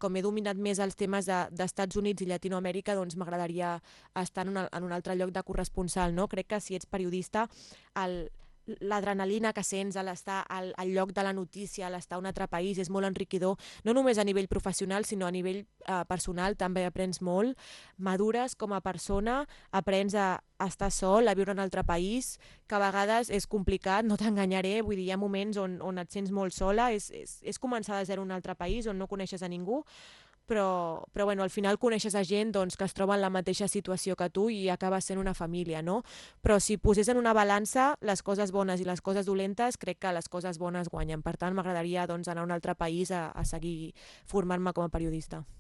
com he dominat més els temes d'Estats Units i Llatinoamèrica, doncs m'agradaria estar en un altre lloc de corresponsal, no? Crec que si ets periodista, el, l'adrenalina que sents a l'estar al lloc de la notícia, a l'estar a un altre país, és molt enriquidor, no només a nivell professional, sinó a nivell personal, també aprens molt, madures com a persona, aprens a estar sol, a viure en un altre país, que a vegades és complicat, no t'enganyaré, vull dir, hi ha moments on et sents molt sola, és començar de zero en un altre país on no coneixes a ningú, però bueno, al final coneixes a gent doncs, que es troba en la mateixa situació que tu i acaba sent una família, no? Però si posés en una balança les coses bones i les coses dolentes, crec que les coses bones guanyen. Per tant, m'agradaria doncs, anar a un altre país a seguir formant-me com a periodista.